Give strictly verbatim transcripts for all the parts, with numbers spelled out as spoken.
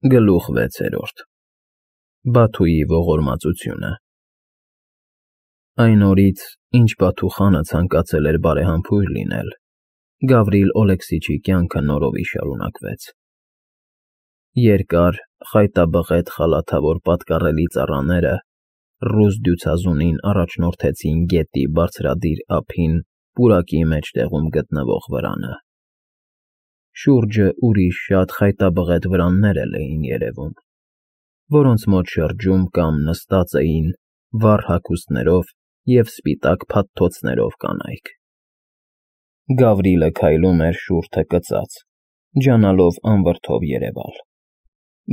Գլուխ վեցերորդ Բաթուի ողորմածությունը Այն օրից, ինչ Բաթու խանը ցանկացել էր բարեհամբույր լինել, Գավրիլ Օլեքսիչի կյանքը նորովի շարունակվեց. Երկար, խայտաբղետ խալաթավոր պատկառելի ծառաները ռուս դյուցազունին առաջնորդեցին գետի բարձրադիր ափին պուրակի մեջտեղում գտնվող վրանը. Շուրջը ուրիշ շատ խայտաբղետ վրաններ էլ էին երևում, որոնց մոտ շրջում կամ նստած էին վառ հագուստներով և սպիտակ փաթթոցներով կանայք. Գավրիլը քայլում էր շուրթը կծած, ջանալով անվրդով երևալ,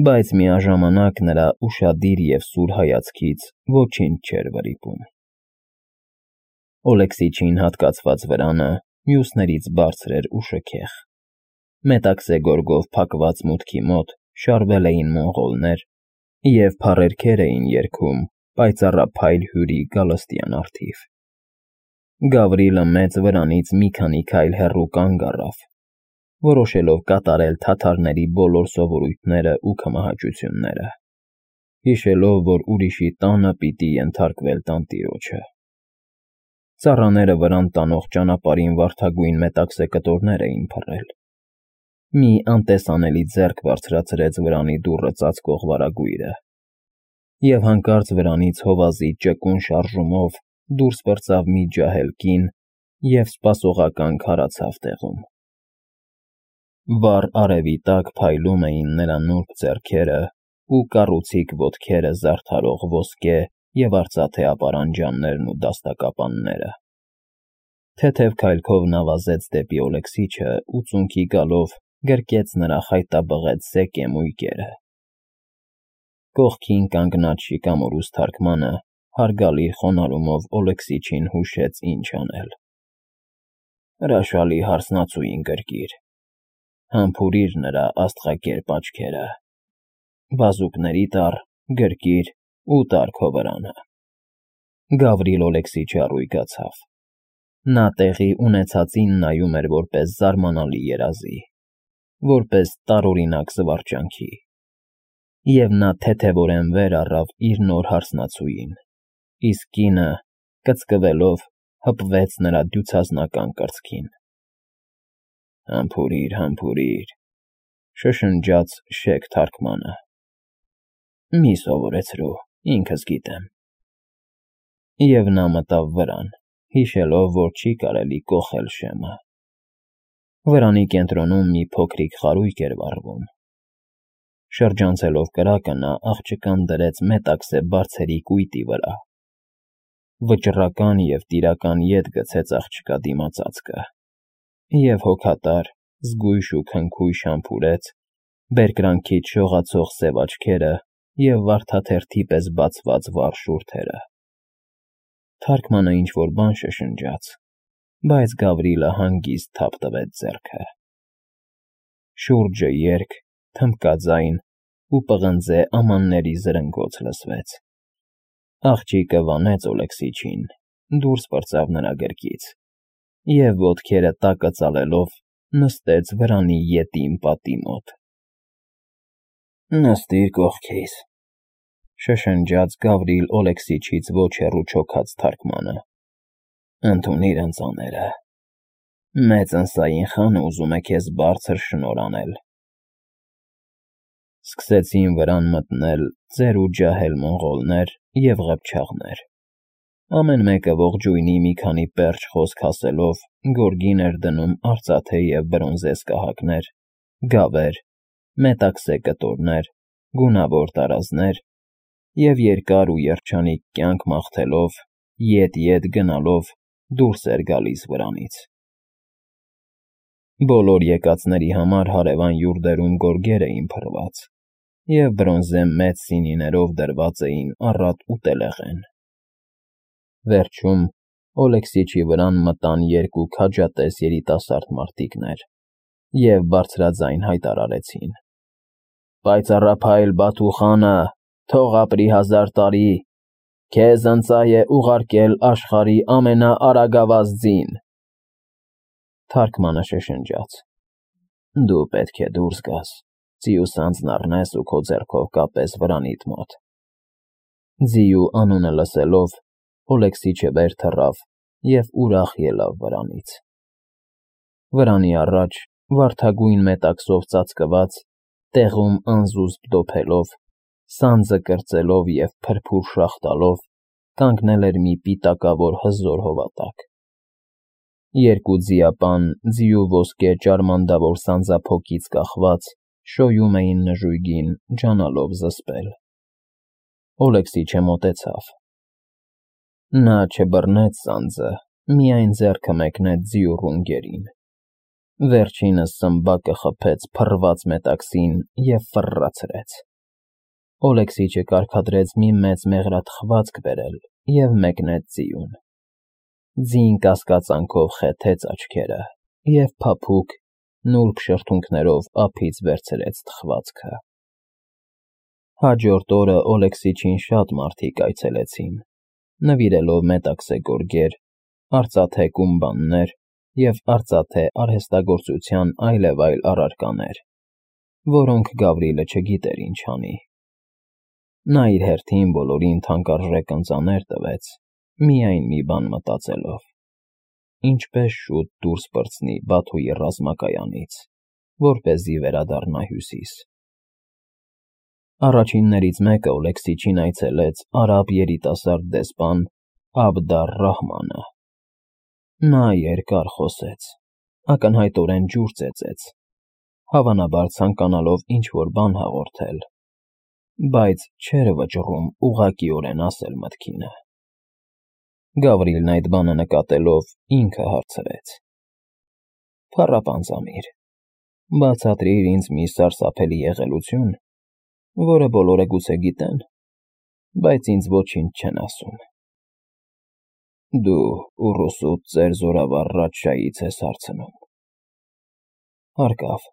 բայց միաժամանակ նրա ուշադիր և սուր հայացքից ոչինչ չէր վրիպում։ Օլեքսիչին հատկացված վրանը մյուսներից բարձր էր ու շքեղ, մետաքսե գորգով փակված մուտքի մոտ շարվել էին մոնղոլներ և փառերգեր էին երգում պայծառափայլ հյուրի գալստյան առթիվ։ Գավրիլը մեծ վրանից մի քանի քայլ հեռու կանգ առավ, որոշելով կատարել թաթարների բոլոր սովորույթներն ու քմահաճությունները, հիշելով, որ ուրիշի տանը պիտի ենթարկվել տանտիրոջը։ Ծառաները վրան տանող ճանապարհին վարդագույն մետաքսե կտորներ էին փռել։ Մի անտեսանելի ձեռք բարձրացրեց վրանի դուռը ծածկող վարագույրը, և հանկարծ վրանից հովազի ճկուն շարժումով դուրս պրծավ մի ջահել կին և սպասողական քարացավ տեղում։ Վառ արևի տակ փայլում էին նրա նուրբ ձեռքերը ու կառուցիկ ոտքերը զարդարող ոսկե և արծաթե ապարանջաններն ու դաստակապանները։ Թեթև քայլքով նա վազեց դեպի Օլեքսիչը ու ծունկի գալով գրկեց նրա խայտաբղետ սև էմույկերը։ Կողքին կանգնած շիկամորուս թարգմանը հարգալի խոնարհումով Օլեքսիչին հուշեց ինչ անել։ Հրաշալի հարսնացուին գրկիր, համբուրիր նրա աստղակերպ աչքերը, բազուկների տար, գրկիր ու տար քո վրանը։ Գավրիլ Օլեքսիչը առույգացավ։ Նա տեղի ունեցածին նայում էր որպես զարմանալի երազի, որպես տարօրինակ զվարճանքի, և նա թեթևորեն վեր առավ իր նոր հարսնացուին, իսկ կինը, կծկվելով, հպվեց նրա դյուցազնական կրծքին։ Համբուրիր, համբուրիր, շշնջաց շեք թարգմանը։ Մի սովորեցրու, ինքս գիտեմ։ Եվ նա մտավ վրան, հիշելով, որ չի կարելի կոխել շեմը։ Վրանի կենտրոնում մի փոքրիկ խարույկ էր վառվում։ Շրջանցելով կրակը, նա աղջկան դրեց մետաքսե բարձերի կույտի վրա։ Վճռական և տիրական ետ գցեց աղջկա դիմացածկը և հոգատար, զգույշ ու քնքույշ համբուրեց բերկրանքից շողացող սև աչքերը և վարդաթերթի պես բացված վառ շուրթերը։ Թարգմանը ինչ֊որ բան շշնջաց, բայց Գավրիլը հանգիստ թափ տվեց ձեռքը։ Շուրջը երգ, թմբկաձայն ու պղնձե ամանների զրնգոց լսվեց։ Աղջիկը վանեց Օլեքսիչին, դուրս պրծավ նրա գրկից և ոտքերը տակը ծալելով նստեց վրանի ետին պատի մոտ։ Նստիր կողքիս, շշնջաց Գավրիլ Օլեքսիչից ոչ հեռու չոքած թարգմանը։ Ընդունիր ընծաները։ Մեծ ընսային խանը ուզում է քեզ բարձր շնորհ անել։ Սկսեցին վրան մտնել ծեր ու ջահել մոնղոլներ և ղփչաղներ։ Ամեն մեկը ողջույնի մի քանի պերճ խոսք ասելով գորգին էր դնում արծաթե և բրոնզե սկահակներ, գավեր, մետաքսե կտորներ, գունավոր տարազներ և երկար ու երջանիկ կյանք մաղթելով, ետ֊ետ գնալով դուրս էր գալիս վրանից։ Բոլոր եկածների համար հարևան յուրտերում գորգեր էին փռված և բրոնզե մեծ սինիներով դրված էին առատ ուտելեղեն։ Վերջում Օլեքսիչի վրան մտան երկու քաջատես երիտասարդ մարդիկներ և բարձրաձայն հայտարարեցին. Պայծառափայլ Բաթու խանը, թող ապրի հազար տարի, քեզ ընծա է ուղարկել աշխարհի ամենաարագավազ ձին։ Թարգմանը շշնջաց. Դու պետք է դուրս գաս, Ձիու սանձն առնես ու քո ձեռքով կապես վրանիդ մոտ։ Ձիու անունը լսելով Օլեքսիչը վեր թռավ և ուրախ ելավ վրանից։ Վրանի առաջ, վարդագույն մետաքսով ծածկված, տեղում անզուսպ դոփելով, սանձը կրծելով և փրփուր շաղ տալով, կանգնել էր մի պիտակավոր հզոր հովատակ։ Երկու ձիապան, ձիու ոսկե ճարմանդավոր սանձափոկից կախված, շոյում էին նժույգին, ջանալով զսպել։ Օլեքսիչը մոտեցավ։ Նա չբռնեց սանձը, միայն ձեռքը մեկնեց ձիու ռունգերին։ Վերջինս սմբակը խփեց փռված մետաքսին և ֆռռացրեց։ Օլեքսիչը կարգադրեց մի մեծ մեղրաթխվածք բերել և մեկնեց ձիուն։ Ձին կասկածանքով խեթեց աչքերը և փափուկ, նուրբ շրթունքներով ափից վերցրեց թխվածքը։ Հաջորդ օրը Օլեքսիչին շատ մարդիկ այցելեցին, նվիրելով մետաքսե գորգեր, արծաթե կումբաններ և արծաթե արհեստագործության այլևայլ առարկաներ, որոնք Գավրիլը չգիտեր ինչ անի։ Նա իր հերթին բոլորին թանկարժեք ընծաներ տվեց, միայն մի բան մտածելով. ինչպես շուտ դուրս պրծնի Բաթուի ռազմակայանից, որպեսզի վերադառնա Հյուսիս։ Առաջիններից մեկը Օլեքսիչին այցելեց արաբ երիտասարդ դեսպան Աբդ֊ալ֊Ռահմանը։ Նա երկար խոսեց, ակնհայտորեն ջուր ծեծեց, հավանաբար ցանկանալով ինչ-որ բան հաղորդել, բայց չէր վճռում ուղղակիորեն ասել մտքինը։ Գավրիլն այդ բանը նկատելով, ինքը հարցրեց. «Փառապանծ ամիր, բացատրիր ինձ մի սարսափելի եղելություն, որը բոլորը գուցե գիտեն, բայց ինձ ոչինչ չեն ասում»։ Դու ուռուսուդ ծեր զորավար Ռաչջայից ես հարցնում։ Հարկավ,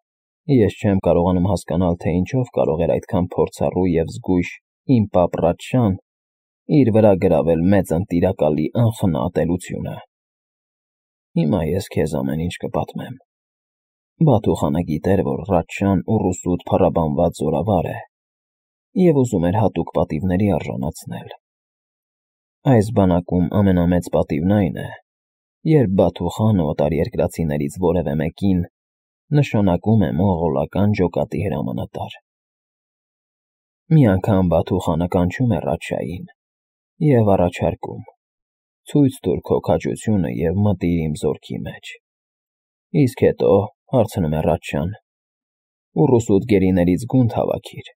ես չեմ կարողանում հասկանալ, թե ինչով կարող էր այդքան փորձառու և զգույշ իմ պապ Ռաչջան իր վրա գրավել մեծն Տիրակալի անխնա ատելությունը։ Հիմա ես քեզ ամեն ինչ կպատմեմ։ Բաթու խանը գիտեր, որ Ռաչջան ուռուսուդ փառաբանված զորավար է և ուզում էր հատուկ պատիվների արժանացնել։ Այս բանակում ամենամեծ պատիվն այն է, երբ Բաթու խանը օտարերկրացիներից որևէ մեկին նշանակում է մոնղոլական ջոկատի հրամանատար։ Մի անգամ Բաթու խանը կանչում է Ռաչջային և առաջարկում. ցույց տուր քո քաջությունը և մտիր իմ զորքի մեջ։ Իսկ հետո, հարցնում է Ռաչջան, ուռուսուդ գերիներից գունդ հավաքիր,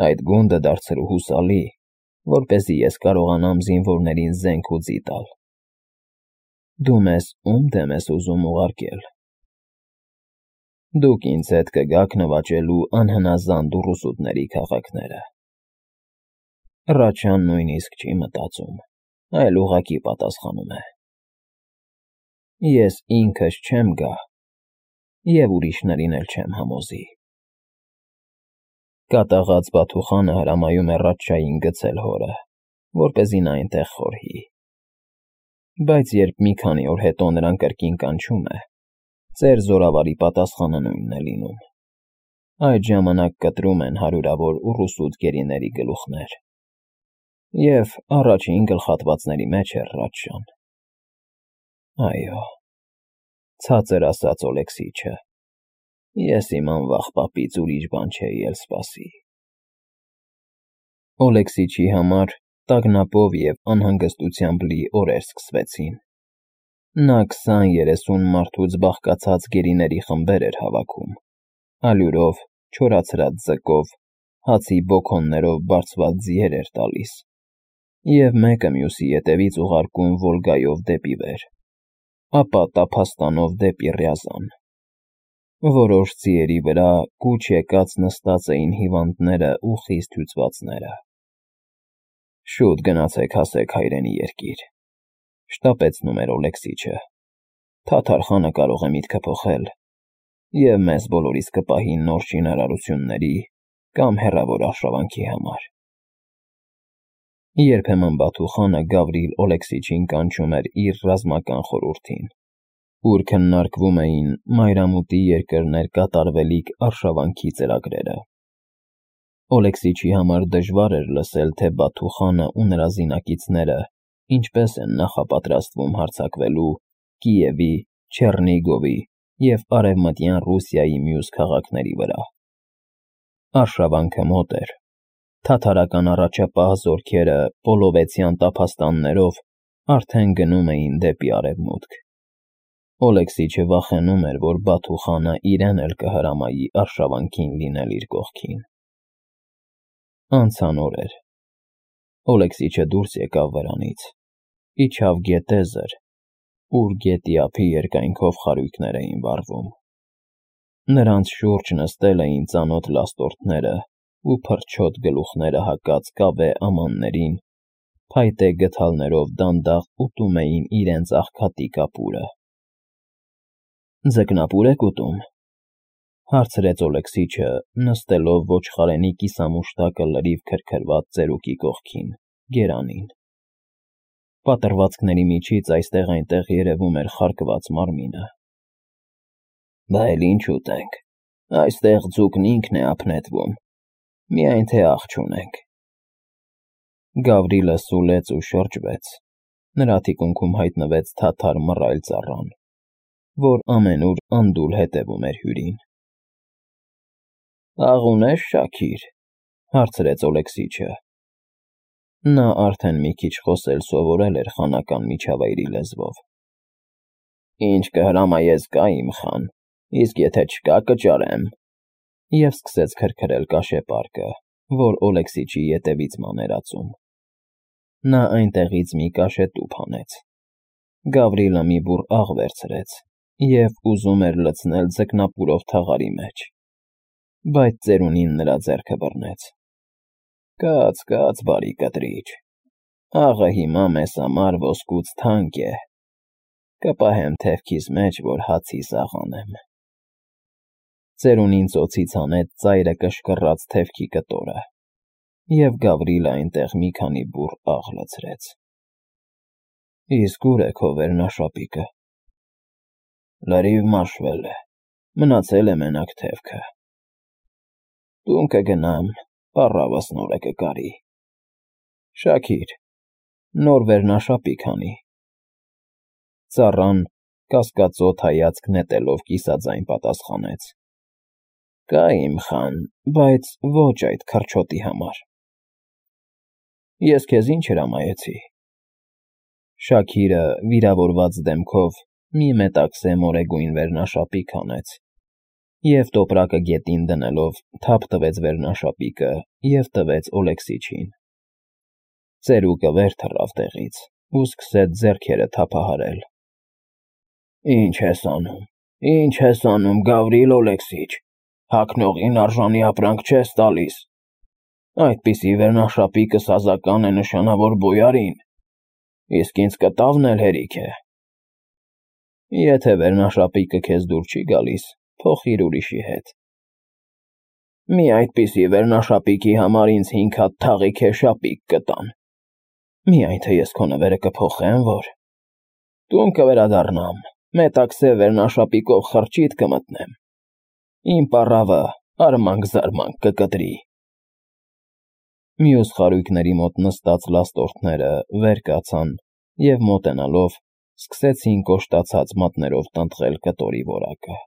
այդ գունդը դարձրու հուսալի, որպեսզի ես կարողանամ զինվորներին զենք ու ձի տալ։ Դու մեզ ո՞ւմ դեմ ես ուզում ուղարկել։ Դուք ինձ հետ կգաք նվաճելու անհնազանդ ուռուսուդների քաղաքները։ Ռաչջան նույնիսկ չի մտածում, այլ ուղղակի պատասխանում է. Ես ինքս չեմ գա և ուրիշներին էլ չեմ համոզի։ Կատաղած Բաթու խանը հրամայում է Ռաչջային գցել հորը, որպեսզի նա այնտեղ խորհի։ Բայց երբ մի քանի օր հետո նրան կրկին կանչում է, ծեր զորավարի պատասխանը նույնն է լինում։ Այդ ժամանակ կտրում են հարյուրավոր ուռուսուդ գերիների գլուխներ։ Եվ առաջին գլխատվածների մեջ էր Ռաչջան։ Այո, ցածր ասած Օլեքսիչը, ես իմ անվախ պապից ուրիշ բան չէի էլ սպասի։ Օլեքսիչի համար տագնապով և անհանգստությամբ լի օրեր սկսվեցին։ Նա քսան֊երեսուն մարդուց բաղկացած գերիների խմբեր էր հավաքում, ալյուրով, չորացրած ձկով, հացի բոքոններով բարձված ձիեր էր տալիս և մեկը մյուսի ետևից ուղարկում Վոլգայով դեպի վեր, ապա տափաստանով դեպի Ռյազան։ Որոշ ձիերի վրա կուչ եկած նստած էին հիվանդները ու խիստ հյուծվածները։ Շուտ գնացեք հասեք հայրենի երկիր, շտապեցնում էր Օլեքսիչը։ Թաթար խանը կարող է միտքը փոխել և մեզ բոլորիս կպահի նոր շինարարությունների կամ հեռավոր արշավանքի համար։ Երբեմն Բաթու խանը Գավրիլ Օլեքսիչին կանչում էր իր ռազմական խորհրդին, ուր քննարկվում էին մայրամուտի երկրներ կատարվելիք արշավանքի ծրագրերը։ Օլեքսիչի համար դժվար էր լսել, թե Բաթուխանը ու նրա զինակիցները ինչպես են նախապատրաստվում հարձակվելու Կիևի, Չեռնիգովի և Արևմտյան Ռուսիայի մյուս քաղաքների վրա։ Արշավանքը մոտ էր։ Թաթարական առաջապահ զորքերը Պոլովեցյան տափաստաններով արդեն գնում էին դեպի արևմուտք։ Օլեքսիչը վախենում էր, որ Բաթուխանը իրեն էլ կհրամայի արշավանքին լինել իր կողքին։ Անցան օրեր։ Օլեքսիչը դուրս եկավ վրանից, իջավ գետեզր, ուր գետի ափի երկայնքով խարույկներ էին վառվում։ Նրանց շուրջ նստել էին ծանոթ լաստորդները ու փրչոտ գլուխները հագած կավե ամաններին, փայտե գդալներով դանդաղ ուտում էին իրենց աղքատիկ ապուրը։ «Ձկնապո՞ւր եք ուտում», հարցրեց Օլեքսիչը, նստելով ոչխարենի կիսամուշտակը լրիվ քրքրված ծերուկի կողքին, գերանին։ Պատռվածքների միջից այստեղ-այնտեղ երևում էր խարկված մարմինը։ «Բա էլ ինչ ուտենք, այստեղ ձուկն ինքն է ապնետվում, միայն թե աղ չունենք»։ Գավրիլը սուլեց ու շրջվեց, նրա թիկունքում հայտնվեց թաթար մռայլ ծառան, որ ամենուր անդուլ հետևում էր հյուրին։ «Աղ ունե՞ս, Շաքիր», հարցրեց Օլեքսիչը։ Նա արդեն մի քիչ խոսել սովորել էր խանական միջավայրի լեզվով։ «Ինչ կհրամայես կա, իմ խան, իսկ եթե չկա, կճարեմ», և սկսեց քրքրել կաշեպարկը, որ Օլեքսիչի ետևից ման էր ածում։ Նա այնտեղից մի կաշետուփ հանեց։ Գավրիլը մի բուռ աղ վերցրեց և ուզում էր լցնել ձկնապուրով թաղարի մեջ, բայց ծերունին նրա ձեռքը բռնեց։ «Կաց, կաց, բարի կտրիչ, աղը հիմա մեզ համար ոսկուց թանկ է, կպահեմ թևքիս մեջ, որ հացիս աղանեմ»։ Ծերունին ծոցից հանեց ծայրը կշկռաց թևքի կտորը, և Գավրիլը այնտեղ մի քանի բուռ աղ լցրեց։ «Իսկ ուր է քո վերնաշապիկը»։ «Լրիվ մաշվել է, մնացել է մենակ թևքը»։ «Տուն կգնամ, պառավս նորը կկարի»։ «Շաքիր, նոր վերնաշապիկ հանի»։ Ծառան կասկածոտ հայացք նետելով կիսաձայն պատասխանեց. «Կա, իմ խան, բայց ոչ այդ քրչոտի համար»։ «Ես քեզ ինչ հրամայեցի»։ Շաքիրը վիրավորված դեմքով մի մետաքսե մորեգույն վերնաշապիկ հանեց և տոպրակը գետին դնելով թափ տվեց վերնաշապիկը և տվեց Օլեքսիչին։ Ծերուկը վեր թռավ տեղից ու սկսեց ձեռքերը թափահարել։ «Ինչ ես անում, ինչ ես անում, Գավրիլ Օլեքսիչ, հագնողին արժանի ապրանք չես տալիս։ Այդպիսի վերնաշապիկը սազական է նշանավոր բոյարին, իսկ ինձ կտավն էլ հերիք է»։ «Եթե վերնաշապիկը քեզ դուր չի գալիս, փոխիր ուրիշի հետ»։ «Մի այդպիսի վերնաշապիկի համար ինձ հինգ հատ թաղիքե շապիկ կտան, միայն թե ես քո նվերը կփոխեմ, որ»։ «Տուն կվերադառնամ, մետաքսե վերնաշապիկով խրճիթ կմտնեմ, իմ պառավը արմանք֊զարմանք կկտրի»։ Մյուս խարույկների մոտ նստած լաստորդները վեր կացան և մոտենալով սկսեցին կոշտացած մատներով տնտղել կտորի որակը։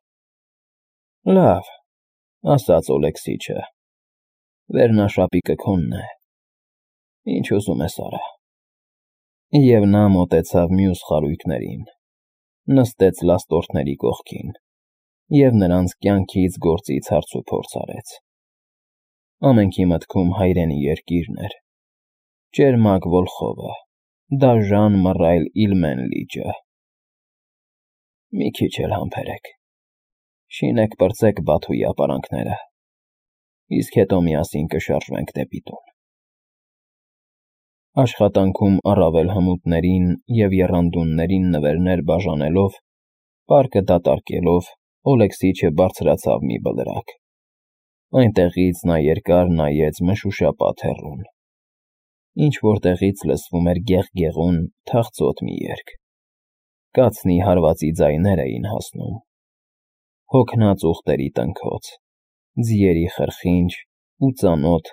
«Լավ», ասաց Օլեքսիչը, «վերնաշապիկը քոնն է, ինչ ուզում ես արա»։ Եվ նա մոտեցավ մյուս խարույկներին, նստեց լաստորդների կողքին և նրանց կյանքից գործից հարցուփորձ արեց։ Ամենքի մտքում հայրենի երկիրն էր, ճերմակ Վոլխովը, դաժան մռայլ Իլմեն լիճը։ «Մի քիչ էլ համբերեք, շինեք պրծեք Բաթուի ապարանքները, իսկ հետո միասին կշարժվենք դեպի տուն»։ Աշխատանքում առավել հմուտներին և եռանդուններին նվերներ բաժանելով, պարկը դատարկելով, Օլեքսիչը բարձրացավ մի բլրակ։ Այնտեղից նա երկար նայեց մշուշապատ հեռուն, ինչ֊որ տեղից լսվում էր գեղգեղուն, թախծոտ մի երգ։ կացնի հարվածի ձայներ էին հասնում, հոգնած ուղտերի տնքոց, ձիերի խրխինջ ու ծանոթ,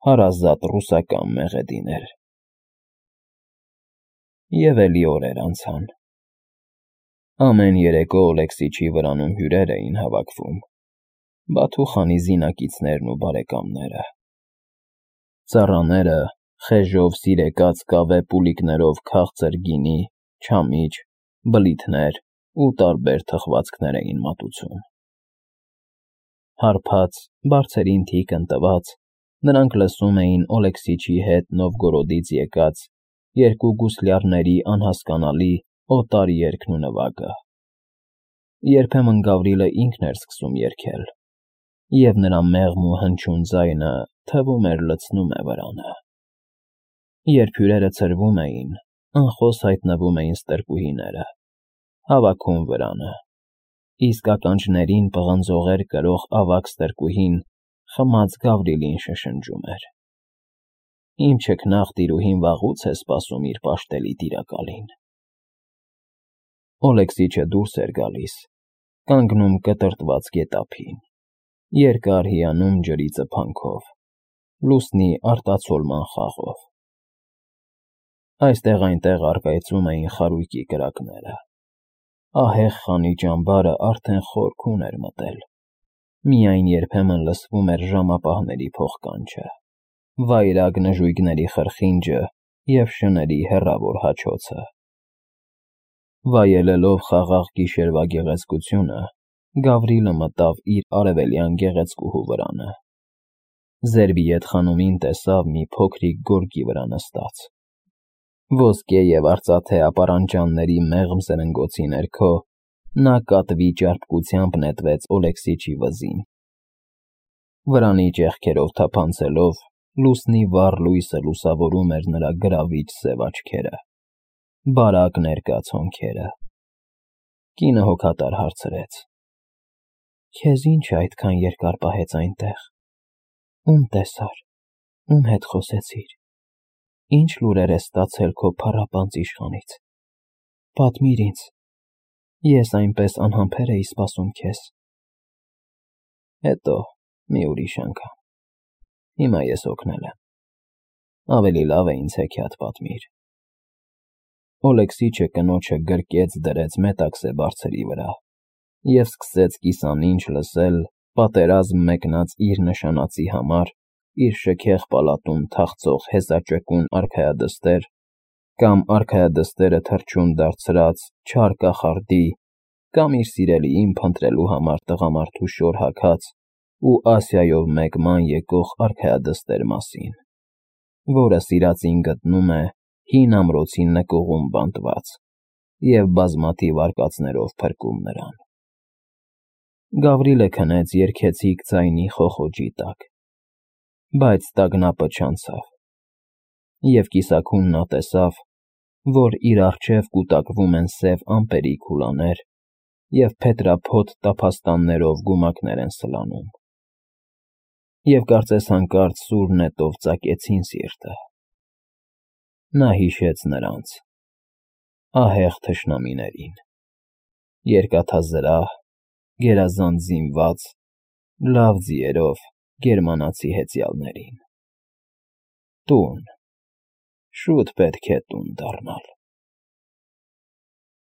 հարազատ ռուսական մեղեդիներ։ Եվ էլի օրեր անցան։ Ամեն երեկո Օլեքսիչի վրանում հյուրեր էին հավաքվում, Բաթուխանի զինակիցներն ու բարեկամները։ Ծառաները, խեժով սիրեկած կավե պուլիկներով քաղցր գինի, չամիչ, բլիթներ ու տարբեր թխվածքներ էին մատուցում։ Հարբած, բարձերին թիկ ընտված, նրանք լսում էին Օլեքսիչի հետ Նովգորոդից եկած երկու գուսլյարների անհասկանալի օտար երգն ու նվագը։ Երբեմն Գավրիլը ինքն էր սկսում երգել, և նրա մեղմ ու հնչյուն ձայնը թվում էր լցնում է վրանը։ Երբ հյուրերը ցրվում էին, անխոս հայտնվում էին ստրկուհիները, հավաքում վրանը, իսկ ականջներին պղնձողեր կրող ավագ ստրկուհին խմած Գավրիլին շշնջում էր. «Իմ չքնաղ տիրուհին վաղուց է սպասում իր պաշտելի տիրակալին»։ Օլեքսիչը դուրս էր գալիս, կանգնում կտրտված գետափին, երկար հիանում ջրի ծփանքով, լուսնի արտացոլման խաղով։ Այստեղ-այնտեղ առկայծում էին խարույկի կրակները, ահեղ խանի ճամբարը արդեն խորքուն էր մտել, միայն երբեմն լսվում էր ժամապահների փողկանչը, վայրագ նժույգների խրխինջը և շների հեռավոր հաչոցը։ Վայելելով խաղաղ գիշերվա գեղեցկությունը, Գավրիլը մտավ իր արևելյան գեղեցկուհու վրանը։ Զերբիետ խանումին տեսավ մի փոքրիկ գորգի վրա նստած։ Ոսկե և արծաթե ապարանջանների մեղմ սրնգոցի ներքո նա կատվի ճարպկությամբ նետվեց Օլեքսիչի վզին։ Վրանի ճեղքերով թափանցելով, լուսնի վառ լույսը լուսավորում էր նրա գրավիչ սև աչքերը, բարակ ներկա ցոնքերը։ Կինը հոգատար հարցրեց. «Քեզ ի՞նչ է այդքան երկար պահեց այնտեղ, ում տեսար, ում հետ խոսեցիր, ի՞նչ լուրեր ես ստացել քո փառապանծ իշխանից, պատմիր ինձ, ես այնպես անհամբեր էի սպասում քեզ»։ Հետո մի ուրիշ անգամ, հիմա ես օգնել եմ, ավելի լավ է ինձ հեքիաթ պատմիր։ Օլեքսիչը կնոջը գրկեց դրեց Մետաքսե բարձրի վրա և սկսեց կիսանինչ լսել պատերազմ մեկնած իր նշանածի համար իր շքեղ պալատում թախծող հեծաճկուն արքայադստեր կամ արքայադստերը թռչուն դարձրած չար կախարդի կամ իր սիրելիին փնտրելու համար տղամարդու շոր հագած ու Ասիայով մեկ ման եկող արքայադստեր մասին, որը սիրածին գտնում է հին ամրոցի նկուղում բանտված և բազմաթիվ արկածներով փրկում նրան։ Գավրիլը քնեց երգեցիկ ձայնի խոխոջի տակ, բայց տագնապը չանցավ, և կիսաքուն նա տեսավ, որ իր առջև կուտակվում են սև ամպերի քուլաներ և փետրափոթ տափաստաններով գումակներ են սլանում, և կարծես հանկարծ սուր նետով ծակեցին սիրտը։ Նա հիշեց նրանց՝ ահեղ թշնամիներին, երկաթազրահ, գերազանց զինված, լավ ձիերով գերմանացի հեծյալներին։ Տուն, շուտ պետք է տուն դառնալ։